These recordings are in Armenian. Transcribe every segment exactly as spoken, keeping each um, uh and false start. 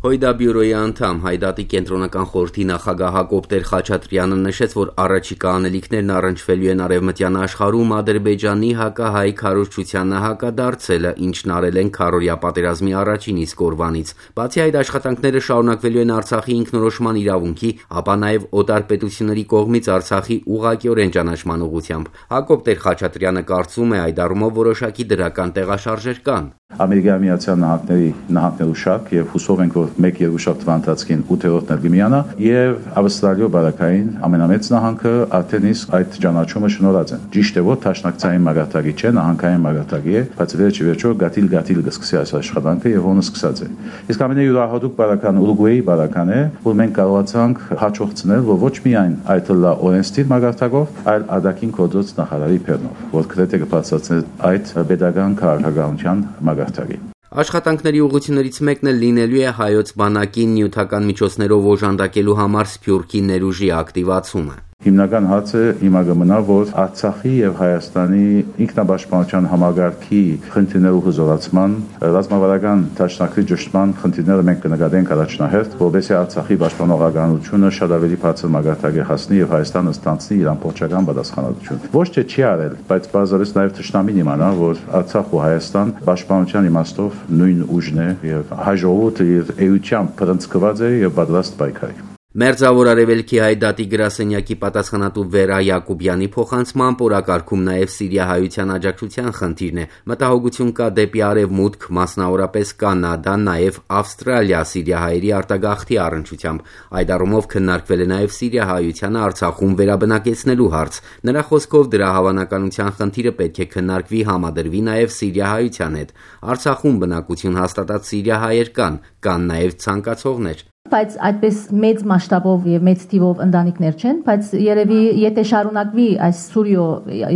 Հույդա բյուրոյի անդամ Հայդատի կենտրոնական խորհրդի նախագահ Հակոբ Տեր-Խաչատրյանը նշեց, որ առաջիկա անելիքներն առնչվելու են արևմտյան աշխարհում Ադրբեջանի հակահայ քարոզչությանը հակադարձելը, ինչն արել են քառօրյա պատերազմի առաջին իսկ օրվանից։ Բացի այդ, աշխատանքները շարունակվելու են Արցախի ինքնորոշման իրավունքի, ապա նաև օտար պետությունների կողմից Արցախի ուղղակիորեն ճանաչման ուղղությամբ։ Հակոբ Տեր-Խաչատրյանը կարծում է, այդ առումով որոշակի դրական տեղաշարժեր կան։ Ամերիկայի Միացյալ Նահանգների նահանգներու շարք եւ հուսով ենք, որ մեկ երկուշաբթի ընթացքին ութերորդն էլ կմիանա եւ Ավստրալիո բարակային ամենամեծ նահանգը արդեն իսկ այդ ճանաչումը շնորհած են։ Ճիշտ է, որ տաշնակցային մագարտակի չէ, նահանգային մագարտակի է, բայց վերջի վերջո գաթիլ-գաթիլ կսկսի այս աշխատանքը եւ ոնը սկսած է։ Իսկ ամենայուրահատուկ բարական Ուրուգվայի բարական է, որ մենք կարողացանք հաջողցնել, որ ոչ միայն այդ լա օրենսդիր մագարտակով, այլ ադակին կոդոց նախարարի բեռնով, որ գրեթե կբացատրի այդ pedagogan քաղաքականության մագարտակի։ Աշխատանքների ուղղություններից մեկն էլ լինելու է հայոց բանակին նյութական միջոցներով օժանդակելու համար Սփյուռքի ներուժի ակտիվացումը։ Հիմնական հարցը հիմա կմնա, որ Արցախի եւ Հայաստանի ինքնապաշտպանության համագարկի խնդիրներու հզորացման, ռազմավարական դաշնակցի ճշտման խնդիրները մենք կնկատենք առաջնահերթ, որովհետեւ Արցախի պաշտպանողականությունը շատ ավելի բարձր մագարտակի հասնի եւ Հայաստանը ստանցնի իր ամբողջական պատասխանատվություն։ Ոչ թե չի արել, բայց բազարից նաեւ ճշտամին իմանա, որ Արցախ ու Հայաստան պաշտպանության իմաստով նույն ուժն է եւ հայ ժողովուրդը իր էությամբ բռնցքված է եւ պատրաստ պայքարի։ Մերձավոր Արևելքի Հայդատի գրասենյակի պատասխանատու Վերա Յակոբյանի փոխանցմամբ օրակարգում նաև սիրիահայության աջակցության խնդիրն է։ Մտահոգություն կա դեպի արևմուտք, մասնավորապես Կանադա, նաև Ավստրալիա սիրիահայերի արտագաղթի առնչությամբ։ Այդ առումով քննարկվել է նաև սիրիահայությանը Արցախում վերաբնակեցնելու հարց։ Նրա խոսքով դրա հավանականության խնդիրը պետք է քննարկվի, համադրվի նաև սիրիահայության հետ։ Արցախում բնակություն հաստատած սիրիահայեր կան, կան նաև ցանկացողներ։ Բայց այդպես մեծ մասշտաբով եւ մեծ թիվով ընտանիքներ չեն, բայց երևի եթե շարունակվի այս Սուրիո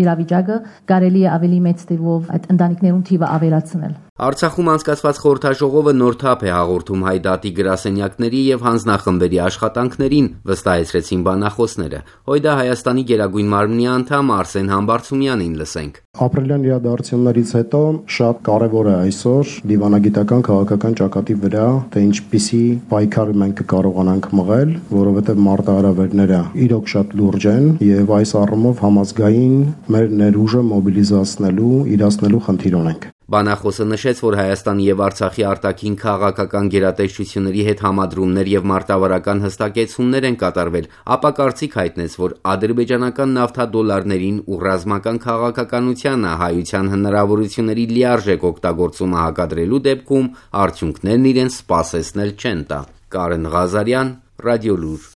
իրավիճակը, կարելի է ավելի մեծ թիվով այդ ընտանիքներուն թիվը ավելացնել։ Արցախում անցկացված խորհրդաժողովը նոր թափ է հաղորդում Հայդատի գրասենյակների եւ հանձնախմբերի աշխատանքներին, վստահեցրեցին բանախոսները։ Հույդա Հայաստանի Գերագույն մարմնի անդամ Արսեն Համբարձումյանին լսենք։ Ապրիլյան իրադարձություններից հետո շատ կարևոր է այսօր դիվանագիտական քաղաքական ճակատի վրա, թե ինչպիսի պայքար մենք կարողանանք մղել, որովհետեւ մարտահրավերները իրոք շատ լուրջ են եւ այս առումով համազգային մեր ներուժը մոբիլիզացնելու, իրացնելու խնդիր ունենք։ Բանախոսը նշեց, որ Հայաստանի եւ Արցախի արտաքին քաղաքական գերատեսչությունների հետ համադրումներ եւ մարտավարական հստակեցումներ են կատարվել, ապա կարծիք հայտնեց, որ ադրբեջանական նավթադոլարներին ու ռազմական քաղաքականությանը հայության հնարավորությունների լիարժեք օգտագործումը հակադրելու դեպքում արդյունքներն իրենց սպասեցնել չեն տա։ Կարեն Ղազարյան, Ռադիոլուր։